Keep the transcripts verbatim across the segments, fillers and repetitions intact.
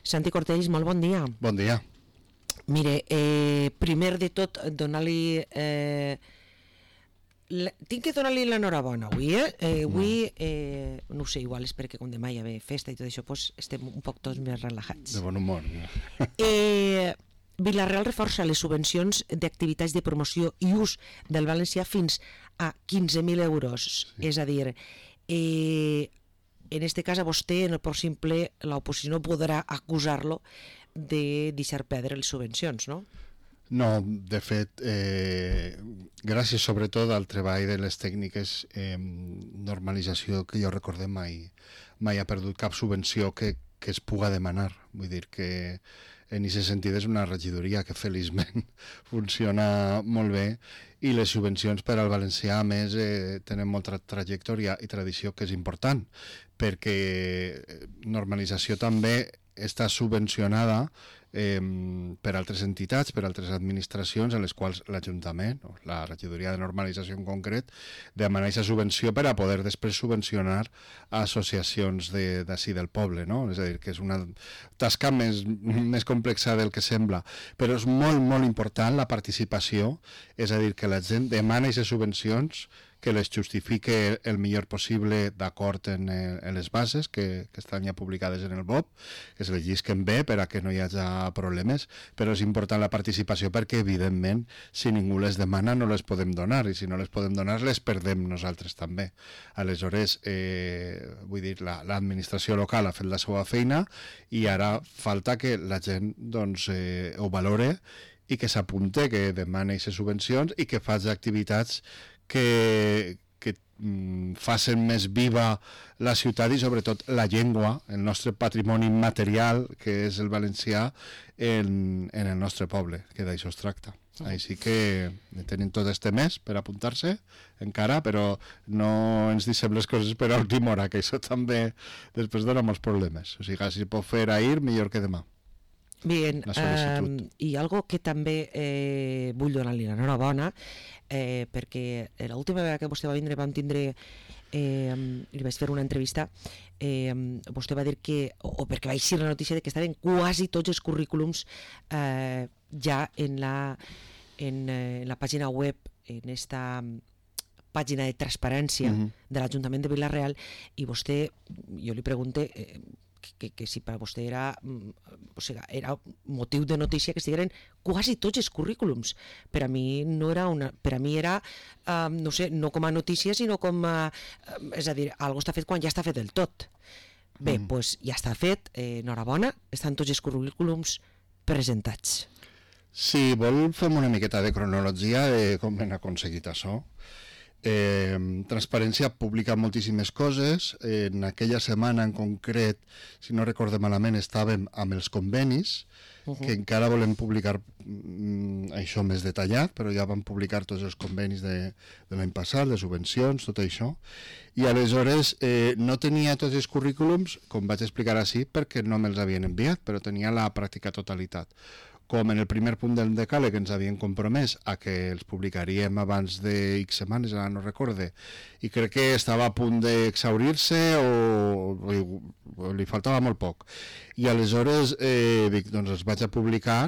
Santi Cortells, molt bon dia. Bon dia. Mire, eh, primer de tot, donar-li... Eh, la, tinc que donar-li l'enhorabona avui, eh? eh avui, eh, no ho sé, igual és perquè com demà hi ha festa i tot això, doncs estem un poc tots més relajats. De bon humor. Eh, Vila-real reforça les subvencions d'activitats de promoció i ús del valencià fins a quinze mil euros. Sí. És a dir, eh, en este cas a vostè, per simple, l'oposició no podrà acusar-lo de deixar perdre les subvencions, no? No, de fet, eh, gràcies sobretot al treball de les tècniques, eh, normalització que jo recordem mai, mai ha perdut cap subvenció que, que es puga demanar. Vull dir que en aquest sentit és una regidoria que feliçment funciona molt bé i les subvencions per al valencià a més eh, tenen molta trajectòria i tradició, que és important, perquè normalització també està subvencionada eh, per altres entitats, per altres administracions, en les quals l'Ajuntament, o la regidoria de normalització en concret, demana aquesta subvenció per a poder després subvencionar associacions d'ací de, del poble, no? És a dir, que és una tasca més, més complexa del que sembla, però és molt, molt important la participació, és a dir, que la gent demana aquestes subvencions, que les justifique el millor possible d'acord en, en les bases que, que estan ja publicades en el B O P, que se les llisquen bé per a que no hi hagi problemes, però és important la participació perquè, evidentment, si ningú les demana no les podem donar, i si no les podem donar les perdem nosaltres també. Aleshores, eh, vull dir, l'administració local ha fet la seva feina i ara falta que la gent doncs, eh, ho valore i que s'apunte, que demani aquestes subvencions i que faci activitats que, que mm, facin més viva la ciutat i sobretot la llengua, el nostre patrimoni material, que és el valencià, en, en el nostre poble, que d'això es tracta. Mm. Així que tenen tot este mes per apuntar-se encara, però no ens deixem les coses per a última hora, que això també després dona molts problemes. O sigui, si pot fer ahir, millor que demà. Bien, eh, i algo que també eh, vull donar-li l'enhorabona, eh, perquè l'última vegada que vostè va vindre vam tindre, eh, li vaig fer una entrevista, eh, vostè va dir que, o, o perquè va eixir la notícia de que estaven quasi tots els currículums eh, ja en la, en, eh, en la pàgina web, en esta pàgina de transparència uh-huh. de l'Ajuntament de Vila-real, i vostè, jo li pregunté eh, Que, que si per a vostè era, o sigui, era motiu de notícia que estigueren quasi tots els currículums. Per a mi no era una, per a mi era, uh, no sé, no com a notícia, sinó com a, uh, és a dir, algo està fet quan ja està fet del tot. Bé, doncs mm. pues, ja està fet, eh, enhorabona, estan tots els currículums presentats. Si vol fem una miqueta de cronologia de com hem aconseguit això. Eh, Transparència publica moltíssimes coses. En aquella setmana en concret, si no recorde malament, estàvem amb els convenis, uh-huh. que encara volem publicar mm, això més detallat, però ja vam publicar tots els convenis de, de l'any passat, les subvencions, tot això, i aleshores eh, no tenia tots els currículums, com vaig explicar així, perquè no me'ls havien enviat, però tenia la pràctica totalitat. Com en el primer punt del decàleg ens havien compromès a que els publicaríem abans de X setmanes, ara no recorde, i crec que estava a punt d'exhaurir-se o, o, o li faltava molt poc. I aleshores eh, dic, doncs els vaig a publicar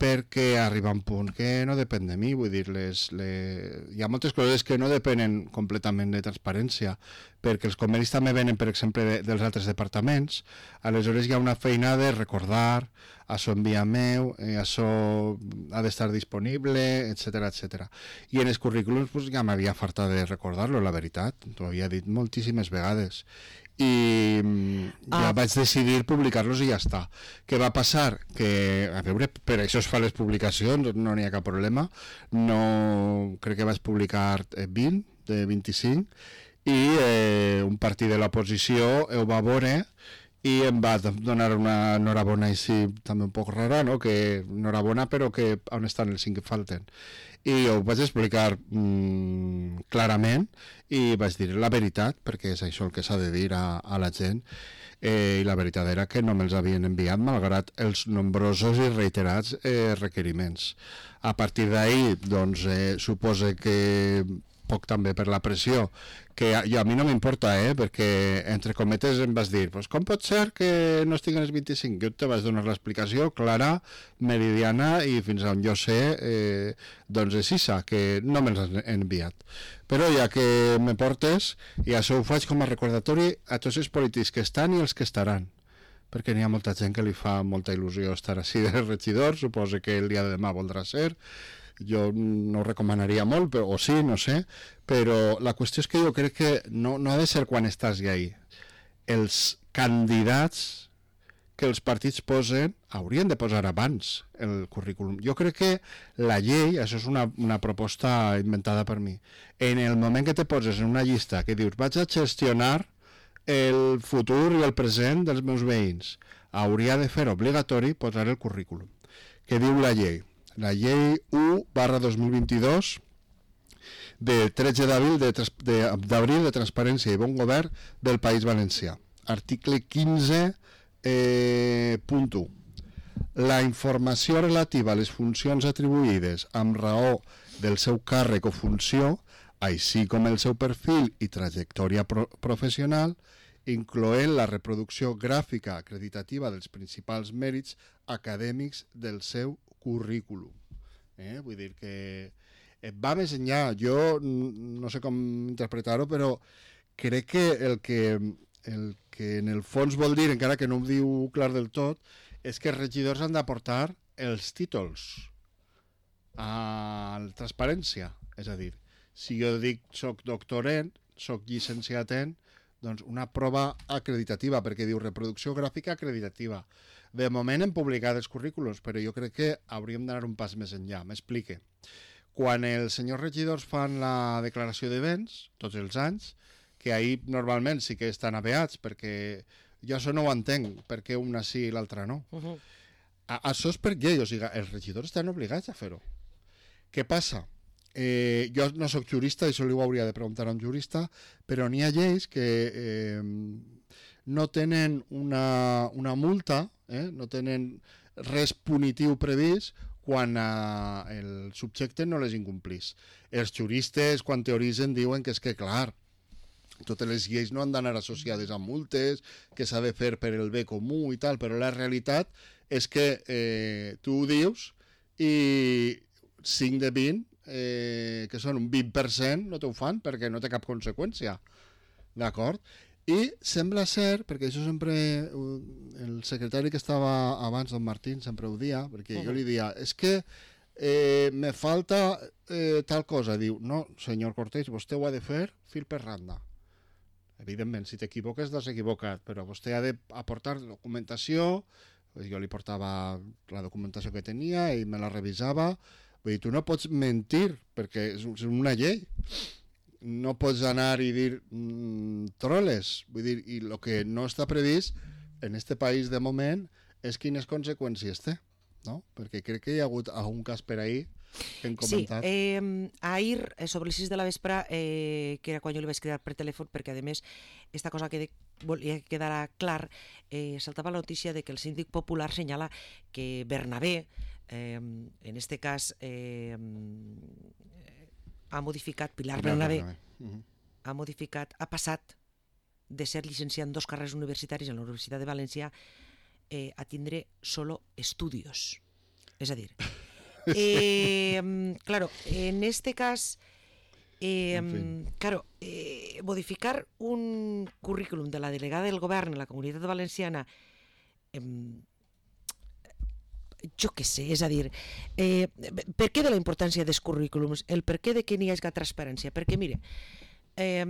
perquè arriba un punt que no depèn de mi, vull dir, les, les... hi ha moltes coses que no depenen completament de transparència, perquè els convenis també venen, per exemple, de, dels altres departaments, aleshores hi ha una feina de recordar, això envia meu, eh, això ha d'estar disponible, etcètera, etcètera. I en els currículums pues, ja m'havia fartat de recordar-lo, la veritat, t'ho havia dit moltíssimes vegades. I ja ah. vaig decidir publicar-los i ja està. Què va passar? Que, a veure, per això es fa les publicacions, no n'hi ha cap problema. No, crec que vaig publicar vint, de vint-i-cinc, i eh, un partit de l'oposició ho va veure i em va donar una enhorabona així també un poc rara, no? Que enhorabona, però que on estan els cinc que falten. I ho vaig explicar mmm, clarament i vaig dir la veritat, perquè és això el que s'ha de dir a, a la gent. eh, i la veritat era que no me'ls havien enviat malgrat els nombrosos i reiterats eh, requeriments. A partir d'ahir, doncs, eh, supose que poc també per la pressió, que a, jo, a mi no m'importa, eh, perquè entre cometes em vas dir, pues, com pot ser que no estiguen els vint-i-cinc? Jo te vas donar l'explicació clara, meridiana, i fins on jo sé, eh, doncs és issa, que no me'ls han enviat. Però ja que me portes, i això ho faig com a recordatori a tots els polítics que estan i els que estaran, perquè n'hi ha molta gent que li fa molta il·lusió estar així de regidor, suposo que el dia de demà voldrà ser. Jo no ho recomanaria molt, però, o sí, no sé, però la qüestió és que jo crec que no, no ha de ser quan estàs ja ahí. Els candidats que els partits posen haurien de posar abans el currículum. Jo crec que la llei, això és una, una proposta inventada per mi, en el moment que te poses en una llista que dius vaig a gestionar el futur i el present dels meus veïns, hauria de fer obligatori posar el currículum. Què diu la llei? La llei u barra dos mil vint-i-dos de tretze d'abril de, de, d'abril de Transparència i Bon Govern del País Valencià. Article quinze eh, punt u. La informació relativa a les funcions atribuïdes amb raó del seu càrrec o funció, així com el seu perfil i trajectòria pro professional, incloent la reproducció gràfica acreditativa dels principals mèrits acadèmics del seu currículum. Eh? Vull dir que va més enllà. Jo no sé com interpretar-ho, però crec que el que el que en el fons vol dir, encara que no ho diu clar del tot, és que els regidors han d'aportar els títols a la transparència. És a dir, si jo dic soc doctorent, soc llicenciat en, doncs una prova acreditativa, perquè diu reproducció gràfica acreditativa. De moment hem publicat els currículums, però jo crec que hauríem d'anar un pas més enllà. M'explique. Quan els senyors regidors fan la declaració de béns, tots els anys, que ahir normalment sí que estan apeats, perquè jo això no ho entenc, perquè una sí i l'altra no. Uh -huh. a, això és per llei, o sigui, els regidors estan obligats a fer-ho. Què passa? Eh, jo no sóc jurista, això li ho hauria de preguntar a un jurista, però n'hi ha lleis que eh, no tenen una, una multa, eh, no tenen res punitiu previst quan eh, el subjecte no les incomplís. Els juristes, quan teoritzen, diuen que és que, clar, totes les lleis no han d'anar associades a multes, que s'ha de fer per el bé comú i tal, però la realitat és que eh, tu ho dius i cinc de vint, eh, que són un vint per cent, no t'ho fan perquè no té cap conseqüència. D'acord? I sembla ser, perquè això sempre el secretari que estava abans, don Martín, sempre ho dia, perquè uh-huh. jo li dia, és que eh, me falta eh, tal cosa. Diu, no, senyor Cortés, vostè ho ha de fer fil per randa. Evidentment, si t'equivoques, t'has equivocat, però vostè ha d'aportar documentació. Jo li portava la documentació que tenia i me la revisava. Vull dir, tu no pots mentir, perquè és una llei. No pots anar i dir mmm, troles. Vull dir, i el que no està previst en este país de moment és quines conseqüències té, no? Perquè crec que hi ha hagut algun cas per ahir que hem comentat. Sí, eh, ahir, sobre les sis de la vespre, eh, que era quan jo li vaig cridar per telèfon, perquè a més, esta cosa que volia que quedara clar, eh, saltava la notícia de que el síndic popular senyala que Bernabé, eh, en este cas, eh, ha modificat, Pilar Bernabé, Bernabé. Uh-huh. ha modificat, ha passat de ser llicenciat en dos carreres universitaris a la Universitat de València eh, a tindre solo estudios. És a dir, eh, claro, en este cas, eh, en fin. claro, eh, modificar un currículum de la delegada del govern en la Comunitat Valenciana, eh, jo què sé, és a dir, eh, per què de la importància dels currículums, el per què de que n'hi hagi transparència? Perquè, mire, eh,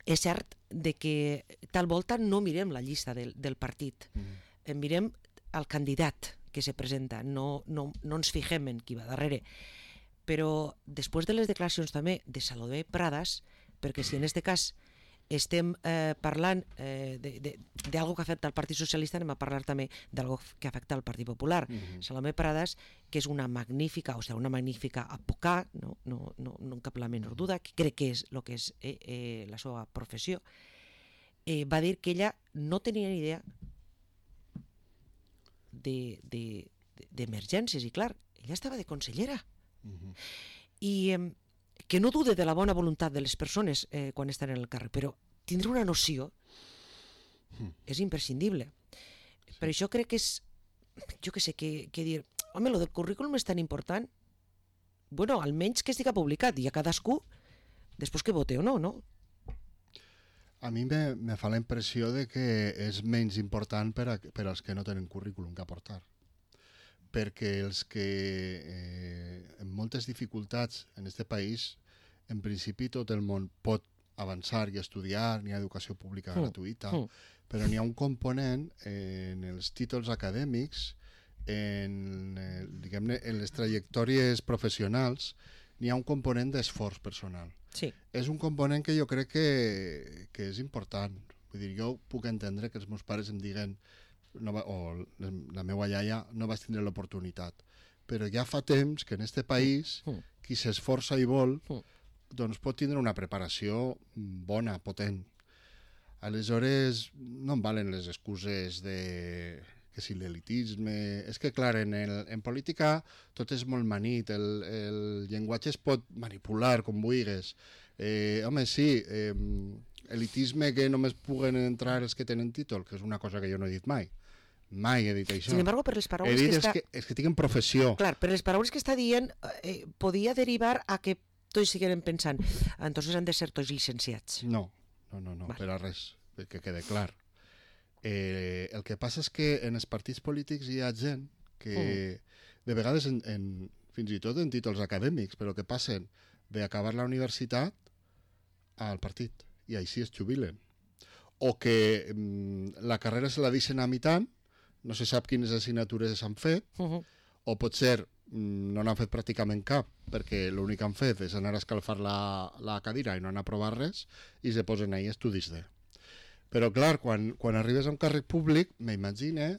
és cert de que tal volta no mirem la llista del, del partit, mm. mirem el candidat que se presenta, no, no, no ens fixem en qui va darrere. Però després de les declaracions també de Salomé Pradas, perquè si en aquest cas estem eh, parlant eh, d'algo que afecta al Partit Socialista, anem a parlar també d'algo que afecta al Partit Popular. Mm-hmm. Salomé Pradas, que és una magnífica, o sigui, una magnífica advocat, no, no, no, no cap la menor duda, que crec que és el que és eh, eh, la seva professió, eh, va dir que ella no tenia ni idea de, de, d'emergències, i clar, ella estava de consellera. Uh-huh. I eh, que no dude de la bona voluntat de les persones eh, quan estan en el càrrec, però tindre una noció uh-huh. és imprescindible. Sí. Per això crec que és, jo que sé, que, que dir, home, lo del currículum és tan important, bueno, almenys que estigui publicat, i a cadascú, després que vote o no, no? A mi me, me fa la impressió de que és menys important per, a, per als que no tenen currículum que aportar. Perquè els que eh, amb moltes dificultats en aquest país, en principi tot el món pot avançar i estudiar, n'hi ha educació pública mm. gratuïta, mm. però n'hi ha un component en els títols acadèmics, en, eh, diguem-ne, en les trajectòries professionals, n'hi ha un component d'esforç personal. Sí. És un component que jo crec que, que és important. Vull dir, jo puc entendre que els meus pares em diguen no va, o la meva iaia no vaig tindre l'oportunitat. Però ja fa temps que en este país mm. qui s'esforça i vol mm. doncs pot tindre una preparació bona, potent. Aleshores, no em valen les excuses de que si l'elitisme... És que, clar, en, el, en política tot és molt manit, el, el llenguatge es pot manipular com vulguis. Eh, home, sí, eh, elitisme que només puguen entrar els que tenen títol, que és una cosa que jo no he dit mai. Mai he dit això. Sin embargo, per les paraules he dit que és està... que, és que tinguin professió. Clar, per les paraules que està dient eh, podia derivar a que tots siguin pensant entonces han de ser tots llicenciats. No, no, no, no vale. Per a res, que quede clar. Eh, el que passa és que en els partits polítics hi ha gent que mm. de vegades en, en, fins i tot en títols acadèmics, però que passen d'acabar la universitat al partit i així es jubilen. O que mm, la carrera se la deixen a mitant, no se sap quines assignatures s'han fet, uh-huh. o potser mm, no n'han fet pràcticament cap, perquè l'únic que han fet és anar a escalfar la, la cadira i no han aprovat res, i se posen ahí estudis de... Però, clar, quan, quan arribes a un càrrec públic, m'imagine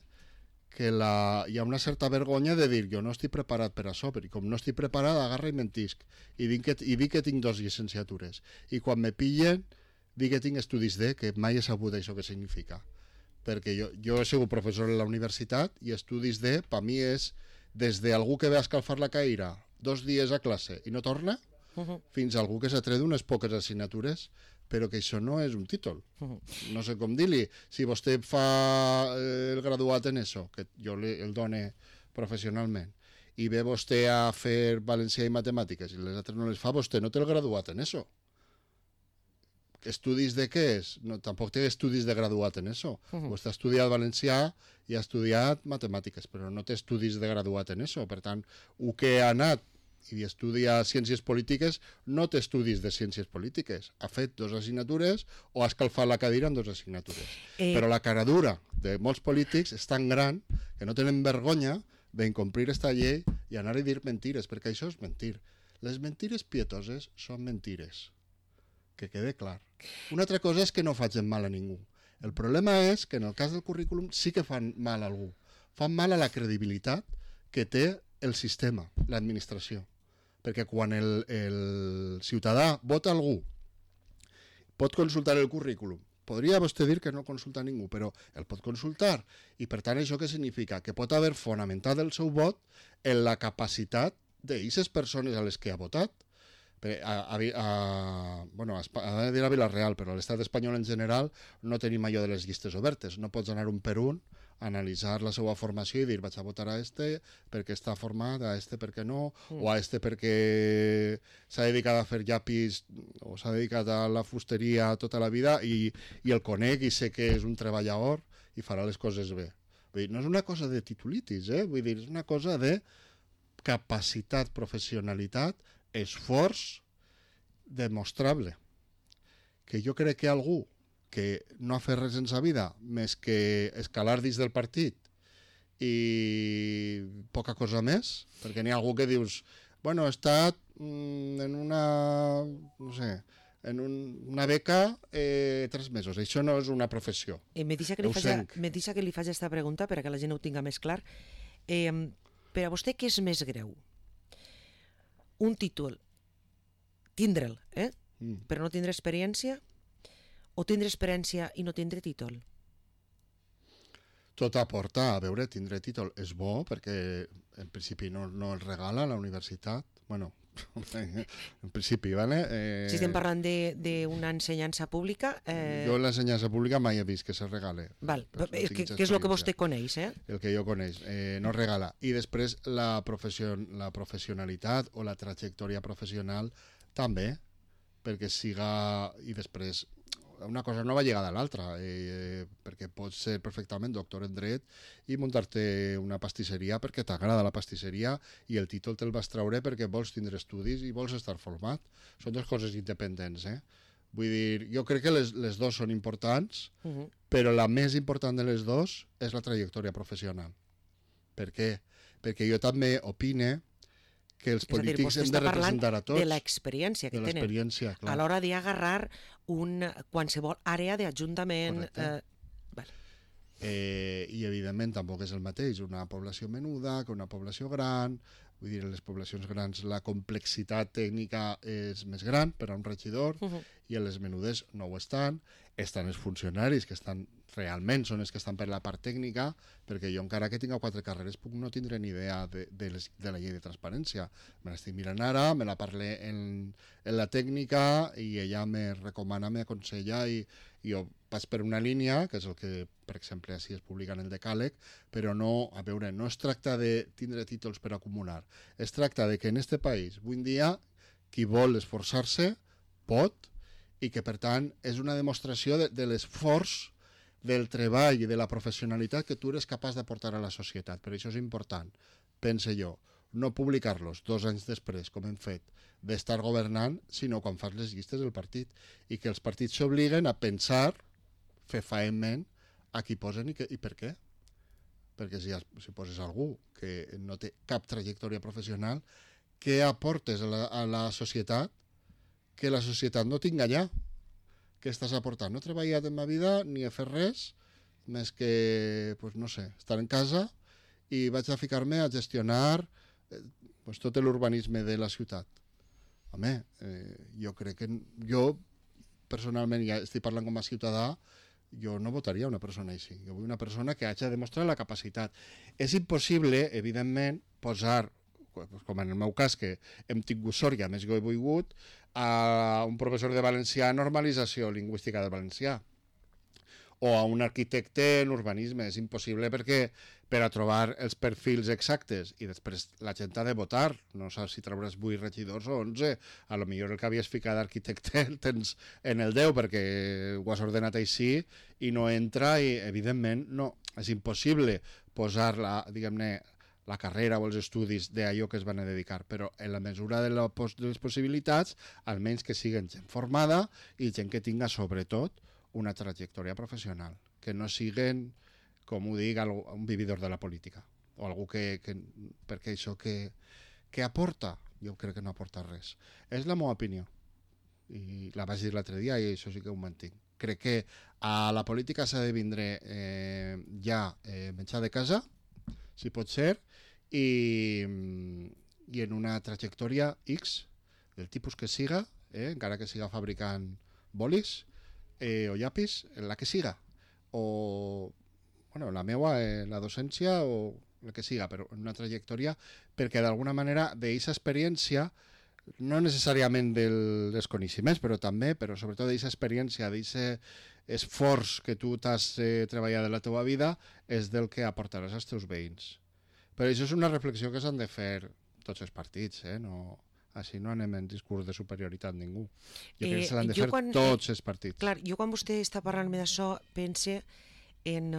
que la, hi ha una certa vergonya de dir jo no estic preparat per això, perquè com no estic preparat, agarra i mentisc. I dic que, i dic que tinc dos llicenciatures. I quan me pillen, dic que tinc estudis de, que mai he sabut això que significa. Perquè jo, jo he sigut professor a la universitat i estudis de, per mi és des d'algú que ve a escalfar la caïra dos dies a classe i no torna, uh-huh. fins a algú que s'ha tret unes poques assignatures, però que això no és un títol. Uh-huh. No sé com dir-li. Si vostè fa el graduat en això, que jo el done professionalment, i ve vostè a fer valencià i matemàtiques i les altres no les fa, vostè no té el graduat en això. Estudis de què és? No, tampoc té estudis de graduat en això. Uh-huh. Vostè ha estudiat valencià i ha estudiat matemàtiques, però no té estudis de graduat en això. Per tant, el que ha anat i estudia ciències polítiques no té estudis de ciències polítiques. Ha fet dues assignatures o ha escalfat la cadira en dues assignatures. Eh... Però la cara dura de molts polítics és tan gran que no tenen vergonya d'incomplir esta llei i anar a dir mentires, perquè això és mentir. Les mentires pietoses són mentires. Que quede clar. Una altra cosa és que no facin mal a ningú. El problema és que en el cas del currículum sí que fan mal a algú. Fan mal a la credibilitat que té el sistema, l'administració. Perquè quan el, el ciutadà vota algú, pot consultar el currículum. Podria vostè dir que no consulta ningú, però el pot consultar. I per tant, això què significa? Que pot haver fonamentat el seu vot en la capacitat d'aquestes persones a les que ha votat. A, a, a, bueno, a, a dir a Vila-real, però a l'estat espanyol en general no tenim allò de les llistes obertes. No pots anar un per un, analitzar la seva formació i dir vaig a votar a este perquè està format, a este perquè no, mm. o a este perquè s'ha dedicat a fer llapis o s'ha dedicat a la fusteria tota la vida i, i el conec i sé que és un treballador i farà les coses bé. Vull dir, no és una cosa de titulitis, eh? Vull dir, és una cosa de capacitat, professionalitat, esforç demostrable. Que jo crec que algú que no ha fet res en sa vida més que escalar dins del partit i poca cosa més, perquè n'hi ha algú que dius bueno, he estat mm, en una no sé, en un, una beca eh, tres mesos, això no és una professió. Eh, me deixa que li faci, me deixa que li faci aquesta pregunta perquè la gent ho tinga més clar. Eh, per a vostè què és més greu? Un títol, tindre'l, eh? Mm. però no tindre experiència, o tindre experiència i no tindre títol? Tot aporta, a veure, tindre títol és bo perquè en principi no, no el regala la universitat, bueno, en principi, ¿vale? Eh, si estem parlant d'una ensenyança pública... Eh... Jo l'ensenyança pública mai he vist que se regale. Val, que, que és el que vostè coneix, eh? El que jo coneix, eh, no regala. I després la, professió, la professionalitat o la trajectòria professional també, perquè siga... I després una cosa no va lligada a l'altra, eh, perquè pots ser perfectament doctor en dret i muntar-te una pastisseria perquè t'agrada la pastisseria i el títol te'l vas treure perquè vols tindre estudis i vols estar format. Són dues coses independents, eh? Vull dir, jo crec que les, les dues són importants, uh-huh. però la més important de les dues és la trajectòria professional. Per què? Perquè jo també opine que els polítics hem de representar a tots. De l'experiència que tenen. Clar. A l'hora d'agarrar un qualsevol àrea d'ajuntament... Eh, vale. eh, I, evidentment, tampoc és el mateix una població menuda que una població gran. Vull dir, en les poblacions grans la complexitat tècnica és més gran per a un regidor uh-huh. i en les menudes no ho estan. Estan els funcionaris que estan realment són els que estan per la part tècnica, perquè jo encara que tinc quatre carreres puc no tindre ni idea de, de, les, de la llei de transparència. Me l'estic mirant ara, me la parlé en, en la tècnica i ella me recomana, me aconsella i, i jo vaig per una línia, que és el que, per exemple, així es publica en el decàleg, però no, a veure, no es tracta de tindre títols per acumular, es tracta de que en este país, avui en dia, qui vol esforçar-se pot, i que, per tant, és una demostració de, de l'esforç del treball i de la professionalitat que tu eres capaç d'aportar a la societat. Per això és important, pense jo, no publicar-los dos anys després, com hem fet, d'estar governant, sinó quan fas les llistes del partit. I que els partits s'obliguen a pensar fefaentment a qui posen i, que, i per què. Perquè si, si poses algú que no té cap trajectòria professional, què aportes a la, a la societat que la societat no tinga allà? Què estàs aportant? No he treballat en ma vida ni he fet res, més que, pues, no sé, estar en casa i vaig a ficar-me a gestionar eh, pues, tot l'urbanisme de la ciutat. Home, eh, jo crec que... Jo, personalment, ja estic parlant com a ciutadà, jo no votaria una persona així. Jo vull una persona que hagi de demostrar la capacitat. És impossible, evidentment, posar, com en el meu cas, que hem tingut sort i a més que he volgut, a un professor de valencià normalització lingüística del valencià o a un arquitecte en urbanisme. És impossible perquè per a trobar els perfils exactes i després la gent ha de votar, no saps si trauràs vuit regidors o onze, a lo millor el que havies ficat d'arquitecte el tens en el deu perquè ho has ordenat així i no entra i evidentment no, és impossible posar la, diguem-ne, la carrera o els estudis d'allò que es van a dedicar, però en la mesura de, la, de les possibilitats, almenys que siguin gent formada i gent que tinga sobretot una trajectòria professional, que no siguin, com ho dic, un vividor de la política, o algú que, que perquè això que, que aporta, jo crec que no aporta res. És la meva opinió, i la vaig dir l'altre dia i això sí que ho mantinc. Crec que a la política s'ha de vindre eh, ja eh, menjar de casa, si pot ser, i, i en una trajectòria X, del tipus que siga, eh, encara que siga fabricant bolis eh, o llapis, en la que siga, o bueno, la meua, eh, la docència o el que siga, però en una trajectòria, perquè d'alguna manera d'aquesta experiència, no necessàriament del, dels coneixements, però també, però sobretot d'aquesta experiència, d'aquest esforç que tu t'has eh, treballat de la teva vida, és del que aportaràs als teus veïns. Però això és una reflexió que s'han de fer tots els partits, eh? No, així no anem en discurs de superioritat ningú. Jo crec que s'han de fer quan, tots els partits. Clar, jo quan vostè està parlant-me d'això pense en,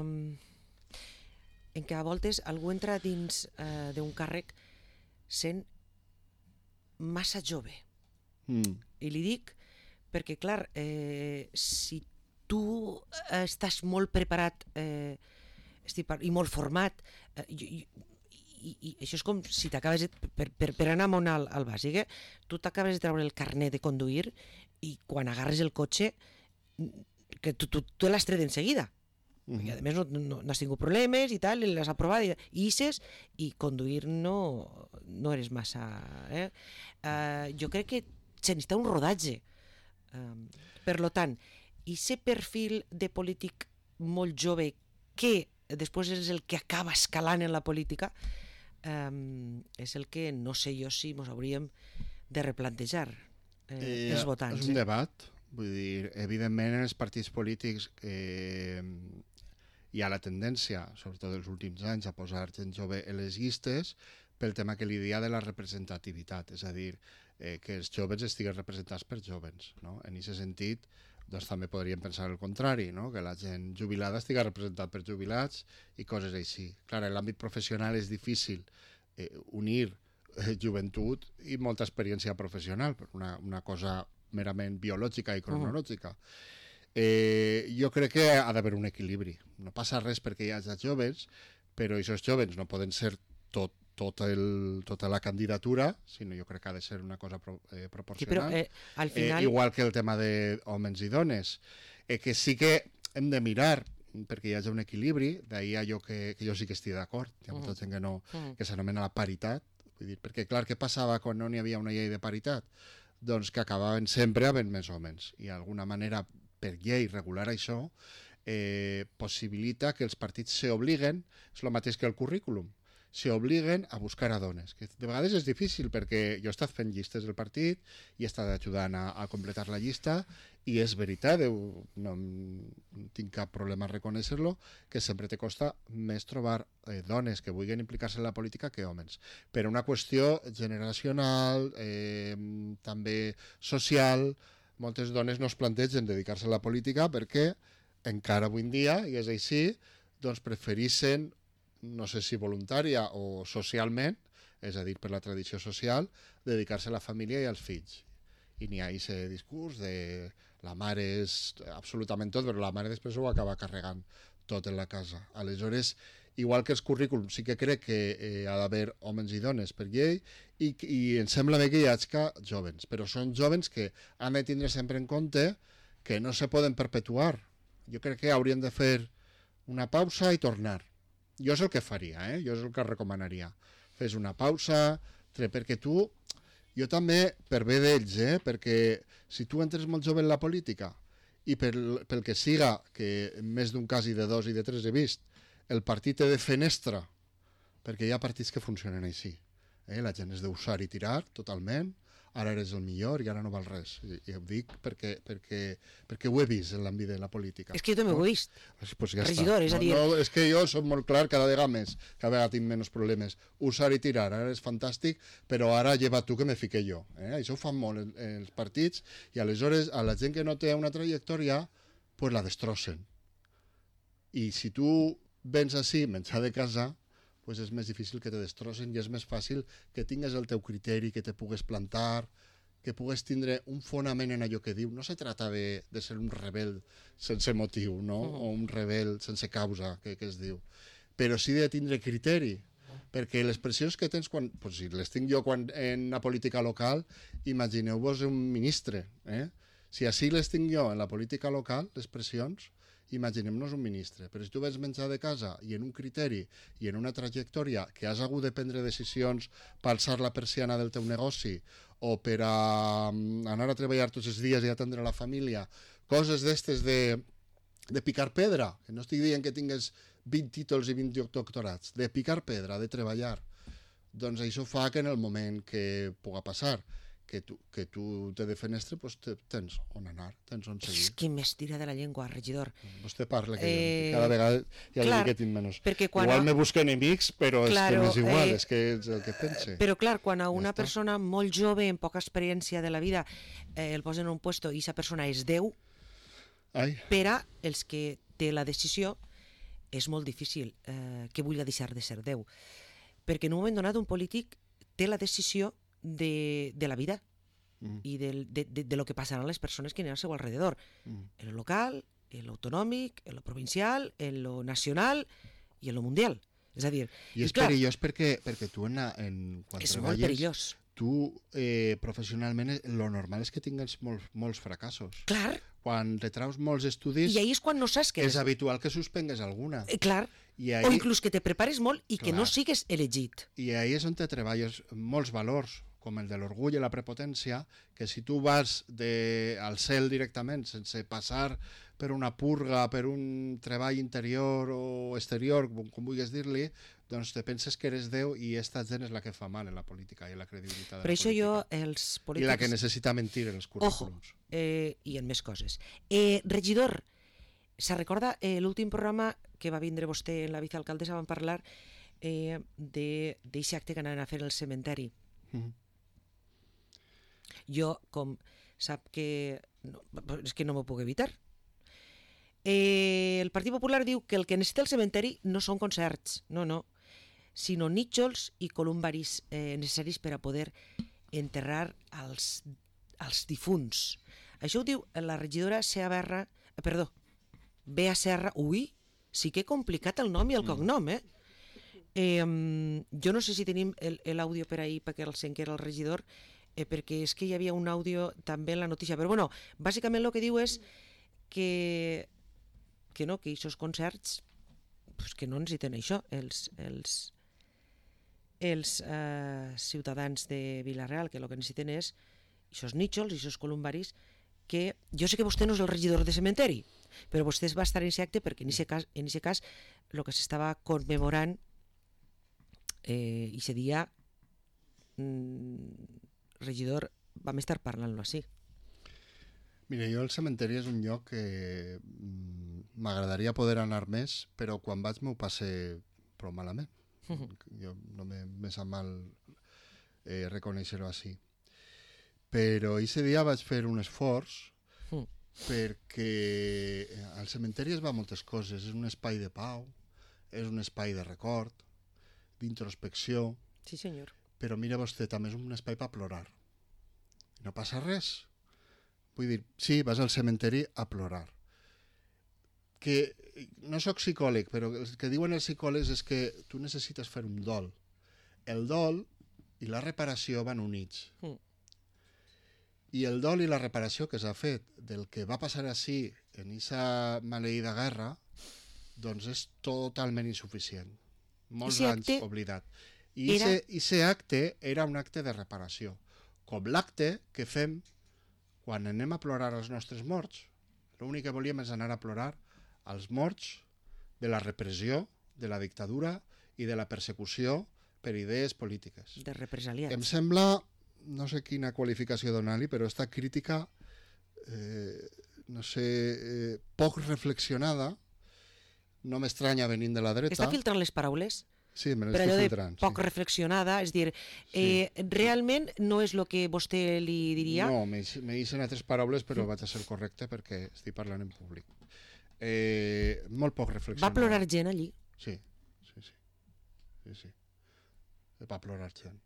en que a voltes algú entra dins eh, d'un càrrec sent massa jove. Mm. I li dic perquè, clar, eh, si tu estàs molt preparat eh, i molt format, eh, i, i, i això és com si t'acabes, per, per, per anar molt al, al bàsic, eh, tu t'acabes de treure el carnet de conduir i quan agarres el cotxe que tu, tu, tu l'has tret en seguida. Uh-huh. I a més no, no, no has tingut problemes i tal, i l'has aprovat i, i isses, i conduir no, no eres massa... Eh? Uh, jo crec que se necessita un rodatge. Uh, per lo tant, i aquest perfil de polític molt jove que després és el que acaba escalant en la política, eh, és el que no sé jo si ens hauríem de replantejar eh, eh, els votants. És un eh? debat, vull dir, evidentment en els partits polítics eh, hi ha la tendència, sobretot els últims anys, a posar gent jove en les llistes pel tema que li dia de la representativitat, és a dir, eh, que els joves estiguen representats per joves, no? En aquest sentit, doncs també podríem pensar el contrari, no? Que la gent jubilada estigui representada per jubilats i coses així. Clar, en l'àmbit professional és difícil eh, unir eh, joventut i molta experiència professional, per una, una cosa merament biològica i cronològica. Uh-huh. Eh, jo crec que ha d'haver un equilibri. No passa res perquè hi hagi joves, però aquests joves no poden ser tot Tot el, tota la candidatura, sinó jo crec que ha de ser una cosa pro, eh, proporcional. Sí, però, eh, al final... eh, igual que el tema d'homes i dones, eh, que sí que hem de mirar perquè hi hagi un equilibri, d'ahir allò que, que jo sí que estic d'acord, hi ha molta mm. gent que no, mm. que s'anomena la paritat, vull dir, perquè clar, què passava quan no n'hi havia una llei de paritat? Doncs que acabaven sempre havent més homes, i d'alguna manera, per llei regular això, eh, possibilita que els partits s'obliguen, és el mateix que el currículum, s'obliguen a buscar a dones, que de vegades és difícil perquè jo he estat fent llistes del partit i he estat ajudant a, a completar la llista i és veritat, no tinc cap problema a reconèixer-lo, que sempre te costa més trobar eh, dones que vulguin implicar-se en la política que homes. Per una qüestió generacional, eh, també social, moltes dones no es plantegen dedicar-se a la política perquè encara avui en dia, i és així, doncs prefereixen, no sé si voluntària o socialment, és a dir, per la tradició social, dedicar-se a la família i als fills. I n'hi ha aquest discurs de la mare és absolutament tot, però la mare després ho acaba carregant tot en la casa. Aleshores, igual que els currículums, sí que crec que eh, ha d'haver homes i dones per llei i, i em sembla bé que hi hagi jovens, però són jovens que han de tindre sempre en compte que no se poden perpetuar. Jo crec que haurien de fer una pausa i tornar. Jo és el que faria, eh? Jo és el que recomanaria. Fes una pausa, perquè tu, jo també, per bé d'ells, eh? Perquè si tu entres molt jove en la política i pel, pel que siga, que en més d'un cas i de dos i de tres he vist, el partit té de fenestra, perquè hi ha partits que funcionen així. Eh? La gent és d'usar i tirar totalment, ara eres el millor i ara no val res. I, i ho dic perquè, perquè, perquè ho he vist en l'àmbit de la política. És que jo també ho he vist. Pues ja Regidor, està. és a dir... No, no, és que jo soc molt clar cada vegada més, cada vegada tinc menys problemes. Usar i tirar, ara és fantàstic, però ara lleva tu que me fique jo. Eh? Això ho fan molt en, en els partits i aleshores a la gent que no té una trajectòria, pues la destrossen. I si tu vens així, menjar de casa, pues és més difícil que te destrossen i és més fàcil que tingues el teu criteri, que te pugues plantar, que pugues tindre un fonament en allò que diu. No se trata de, de ser un rebel sense motiu, no? Mm. O un rebel sense causa, que, que es diu. Però sí de tindre criteri, perquè les pressions que tens, quan, pues si les tinc jo quan, en la política local, imagineu-vos un ministre. Eh? Si així les tinc jo en la política local, les pressions, imaginem-nos un ministre, però si tu vens menjar de casa i en un criteri i en una trajectòria que has hagut de prendre decisions per alçar la persiana del teu negoci o per a anar a treballar tots els dies i atendre la família, coses d'estes de, de picar pedra, que no estic dient que tingues vint títols i vint doctorats, de picar pedra, de treballar, doncs això fa que en el moment que puga passar que tu, que tu te de fenestre, pues te, tens on anar, tens on seguir. És que m'estira de la llengua, regidor. Vostè parla, que eh, cada vegada ja clar, li dic que tinc menys. Igual a... me busca enemics, però claro, és que m'és igual, eh, és que és el que pense. Però clar, quan a una ja persona molt jove, amb poca experiència de la vida, eh, el posen en un puesto i aquesta persona és Déu, Ai. per a els que té la decisió, és molt difícil eh, que vulgui deixar de ser Déu. Perquè en un moment donat un polític té la decisió De, de la vida mm. y de, de, de, de lo que pasarán las personas que tienen a su alrededor, mm. en lo local, en lo autonòmic, en lo provincial, en lo nacional i en lo mundial. És a dir... I és clar, perillós perquè, perquè tu en, en, quan és treballes... molt perillós. Tu, eh, professionalment, lo normal és que tingues molts, molts fracassos. Clar. Quan te traus molts estudis... I ahí és quan no saps que... És habitual que suspengues alguna. Eh, clar. I ahí... O inclús que te prepares molt i clar. Que no sigues elegit. I ahí és on te treballes molts valors, com el de l'orgull i la prepotència, que si tu vas de, al cel directament, sense passar per una purga, per un treball interior o exterior, com, com vulguis dir-li, doncs te penses que eres Déu i esta gent és la que fa mal en la política i en la credibilitat de per la això política. Jo, els polítics... I la que necessita mentir en els currículums. Ojo, eh, i en més coses. Eh, regidor, se recorda eh, l'últim programa que va vindre vostè en la vicealcaldessa, van parlar eh, d'aquest acte que anaven a fer al cementeri. Mm-hmm. Jo, com sap que... No, és que no m'ho puc evitar. Eh, el Partit Popular diu que el que necessita el cementeri no són concerts, no, no, sinó nítxols i columbaris eh, necessaris per a poder enterrar els, els difunts. Això ho diu la regidora Sea Berra, eh, perdó, Bea Serra. Ui, sí que he complicat el nom i el cognom, eh? eh jo no sé si tenim l'àudio per ahir perquè el sent que era el regidor, eh, perquè és que hi havia un àudio també en la notícia, però bueno, bàsicament el que diu és que que no, que aquests concerts pues que no necessiten això els, els, els eh, ciutadans de Vila-real, que el que necessiten és aquests nítxols i aquests columbaris, que jo sé que vostè no és el regidor de cementeri, però vostè va estar en aquest acte perquè en aquest cas, en aquest cas el que s'estava commemorant eh, i aquest dia mm, regidor, vam estar parlant-lo així. Mira, jo el cementeri és un lloc que m'agradaria poder anar més, però quan vaig m'ho passe prou malament. Uh-huh. Jo no me, me sap mal eh, reconèixer-ho així. Però aquest dia vaig fer un esforç uh-huh. perquè al cementeri es va moltes coses. És un espai de pau, és un espai de record, d'introspecció. Sí, senyor. Però mira vostè, també és un espai per plorar. I no passa res. Vull dir, sí, vas al cementeri a plorar. Que no sóc psicòleg, però el que diuen els psicòlegs és que tu necessites fer un dol. El dol i la reparació van units. Mm. I el dol i la reparació que s'ha fet del que va passar així en aquesta maleïda guerra, doncs és totalment insuficient. Molts anys acte... oblidat. I aquest era... acte era un acte de reparació. Com l'acte que fem quan anem a plorar als nostres morts. L'únic que volíem és anar a plorar als morts de la repressió, de la dictadura i de la persecució per idees polítiques. De represaliats. Em sembla, no sé quina qualificació donar-li, però esta crítica, eh, no sé, eh, poc reflexionada, no m'estranya venint de la dreta. Està filtrant les paraules? Sí, me per allò de poc sí. reflexionada, és dir, eh, sí. realment no és el que vostè li diria? No, me, me dicen altres paraules, però mm. vaig a ser correcte perquè estic parlant en públic. Eh, molt poc reflexionada. Va plorar gent allí? Sí, sí, sí. sí, sí. Va plorar gent.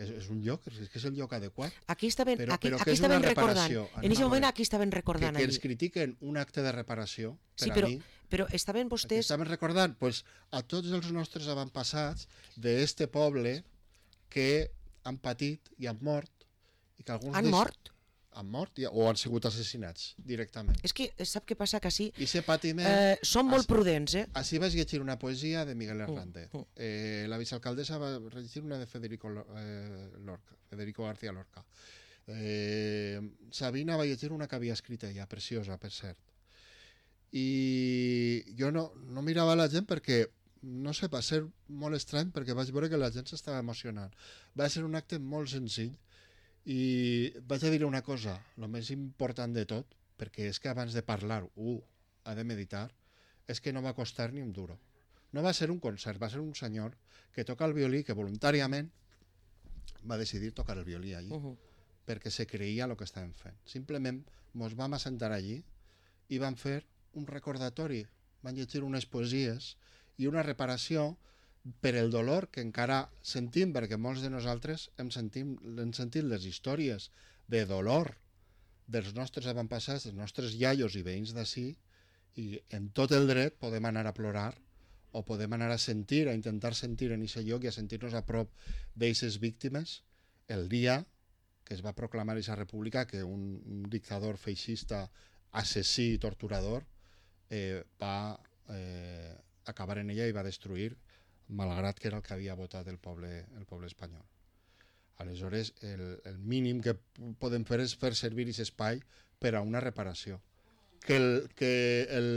És, és un lloc, és que és el lloc adequat. Aquí estaven, però, aquí, però aquí estaven recordant. En aquest moment veure, aquí estaven recordant. Que, que allí. ens critiquen un acte de reparació, per sí, però, a mi... però estaven vostès... Estaven recordant pues, a tots els nostres avantpassats d'este poble que han patit i han mort. I que alguns han deix... mort? Han mort i, o han sigut assassinats directament. És que sap què passa? Que així patiment, eh, són molt així, prudents. Eh? Així vaig llegir una poesia de Miguel Hernández. Uh, uh. Eh, la vicealcaldessa va llegir una de Federico, eh, Lorca, Federico García Lorca. Eh, Sabina va llegir una que havia escrit ella, preciosa, per cert. I jo no, no mirava la gent perquè, no sé, va ser molt estrany perquè vaig veure que la gent s'estava emocionant. Va ser un acte molt senzill. I vaig a dir una cosa, el més important de tot, perquè és que abans de parlar un ha de meditar, és que no va costar ni un duro. No va ser un concert, va ser un senyor que toca el violí, que voluntàriament va decidir tocar el violí allí, uh-huh. perquè se creia el que estàvem fent. Simplement ens vam assentar allí i vam fer un recordatori, van llegir unes poesies i una reparació per el dolor que encara sentim, perquè molts de nosaltres hem, sentim, hem sentit les històries de dolor dels nostres avantpassats, dels nostres iaios i veïns d'ací, i en tot el dret podem anar a plorar o podem anar a sentir, a intentar sentir en aquest lloc i a sentir-nos a prop d'aquestes víctimes el dia que es va proclamar aquesta república, que un, un dictador feixista, assassí i torturador eh, va eh, acabar en ella i va destruir, malgrat que era el que havia votat el poble, el poble espanyol. Aleshores, el, el mínim que podem fer és fer servir aquest espai per a una reparació. Que el, que el,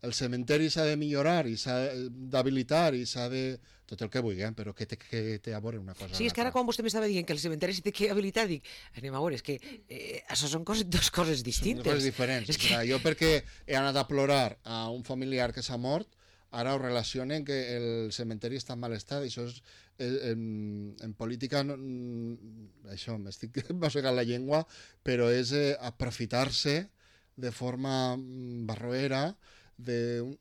el cementeri s'ha de millorar i s'ha d'habilitar i s'ha de... tot el que vulguem, però que té, que té a veure una cosa. Sí, és que ara quan vostè m'estava dient que el cementeri s'ha de habilitar, dic, anem a veure, és que eh, això són coses, dues coses distintes. Són coses diferents. És que... Jo perquè he anat a plorar a un familiar que s'ha mort, ara ho relacionen que el cementeri està en mal estat, i això és, en, en política, no, això, m'estic mossegant la llengua, però és eh, aprofitar-se de forma barroera de un,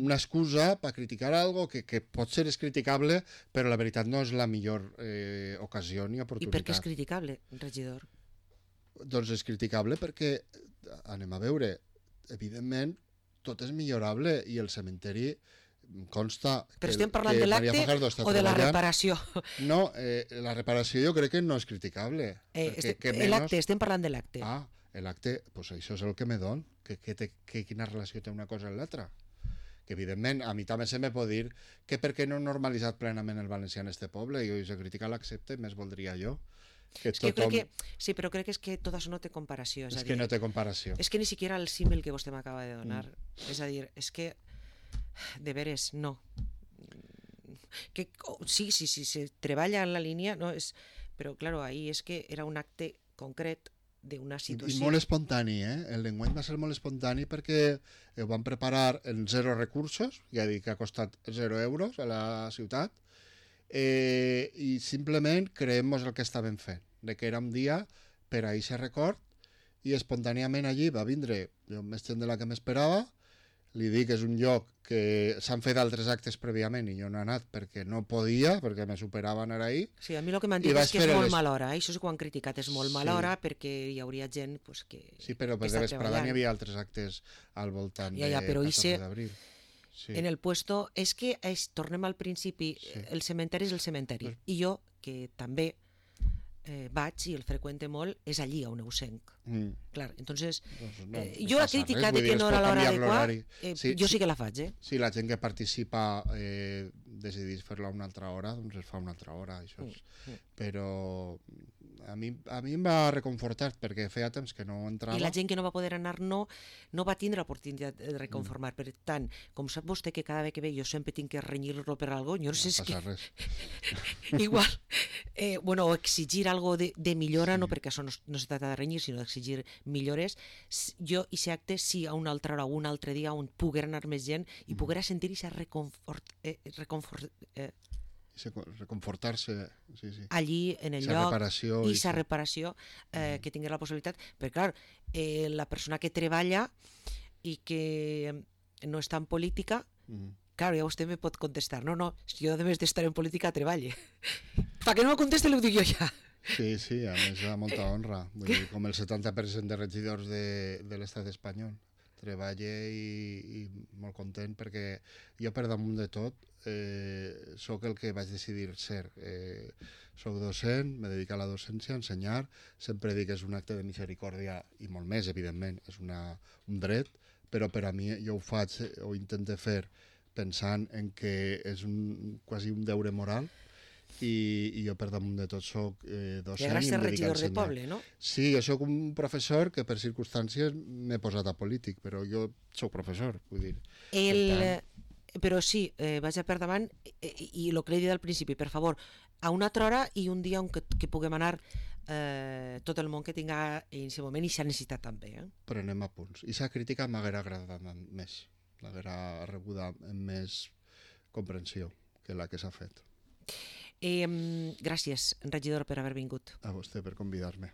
una excusa per criticar algo que, que pot ser és criticable, però la veritat no és la millor eh, ocasió ni oportunitat. I per què és criticable, regidor? Doncs és criticable perquè, anem a veure, evidentment, tot és millorable i el cementeri consta... Però estem parlant de l'acte o de la reparació? No, eh, la reparació jo crec que no és criticable. Eh, este, l'acte, menos... estem parlant de l'acte. Ah, l'acte, pues això és el que me don, que, que, té, que quina relació té una cosa amb l'altra. Que evidentment a mi també se me pot dir que per què no he normalitzat plenament el valencià en este poble, i si crítica l'accepte, més voldria jo. Que és que tothom... crec que, sí, però crec que és que tot això no té comparació. És, és a que dir, no té comparació. És que ni siquiera el símil que vostè m'acaba de donar. Mm. És a dir, és que, de veres, no. Que, oh, sí, sí, sí, se treballa en la línia, no, és, però, claro, ahí és que era un acte concret d'una situació... I, I molt espontani, eh? El llenguatge va ser molt espontani perquè ho van preparar en zero recursos, ja dic que ha costat zero euros a la ciutat, eh, i simplement creem-nos el que estàvem fent, de que era un dia per a aquest record, i espontàniament allí va vindre més gent de la que m'esperava. Li dic que és un lloc que s'han fet altres actes prèviament i jo no he anat perquè no podia, perquè me superava anar ahir. Sí, a mi el que m'han dit és que és molt les... mala hora, eh? Això és que ho han criticat, és molt sí. mala hora perquè hi hauria gent pues, que Sí, però per de vesprada n'hi havia altres actes al voltant ja, ja, de però catorze d'abril. Sí. En el puesto, és que és, tornem al principi, sí. El cementeri és el cementeri, pues... i jo, que també eh, vaig i el freqüente molt, és allí on ho senc. Mm. Clar, entonces, doncs no, eh, jo la crítica de que no era l'hora adequada, eh, sí, jo sí que la faig, eh? Si la gent que participa eh, decidís fer-la una altra hora, doncs es fa una altra hora, això és... Mm. Però a mi, a mi em va reconfortar perquè feia temps que no entrava. I la gent que no va poder anar no, no va tindre l'oportunitat de reconformar. Mm. Per tant, com sap vostè que cada vegada que ve jo sempre tinc que renyir-lo per algo, jo no, no sé si... No passa res. Igual, eh, bueno, o exigir algo de, de millora, sí. No perquè això no, no se trata de renyir, sinó d'exigir millores. Jo, i aquest acte, sí, a una altra hora o un altre dia on poguera anar més gent i mm. poguera sentir i reconfort... Eh, reconfort eh, reconfortar-se sí, sí. allí en el sa lloc reparació i sa reparació eh, mm. que tingués la possibilitat, perquè clar, eh, la persona que treballa i que no està en política, mm. clar, ja vostè me pot contestar, no, no, si jo a més d'estar en política treballe. Per què no me conteste, ho dic jo ja. Sí, sí, a més a molta honra. Vull dir, com el setanta per cent de regidors de, de l'estat espanyol. Treballe i, i molt content perquè jo per damunt de tot eh, sóc el que vaig decidir ser. Eh, soc docent, me dedico a la docència, a ensenyar, sempre dic que és un acte de misericòrdia i molt més, evidentment, és una, un dret, però per a mi jo ho faig o intento fer pensant en que és un, quasi un deure moral. I, i jo per damunt de tot soc eh, docent i em dedico a regidor de poble, no? Sí, jo soc un professor que per circumstàncies m'he posat a polític, però jo soc professor, vull dir. El... Tant... Però sí, eh, vaig a per davant eh, i el que he dit al principi, per favor, a una altra hora i un dia on que, que puguem anar eh, tot el món que tinga en aquest moment i s'ha necessitat també. Eh? Prenem a punts. I sa crítica m'haguera agradat més, l'haguera rebuda amb més comprensió que la que s'ha fet. Eh, gràcies, regidor, per haver vingut. A vostè per convidar-me.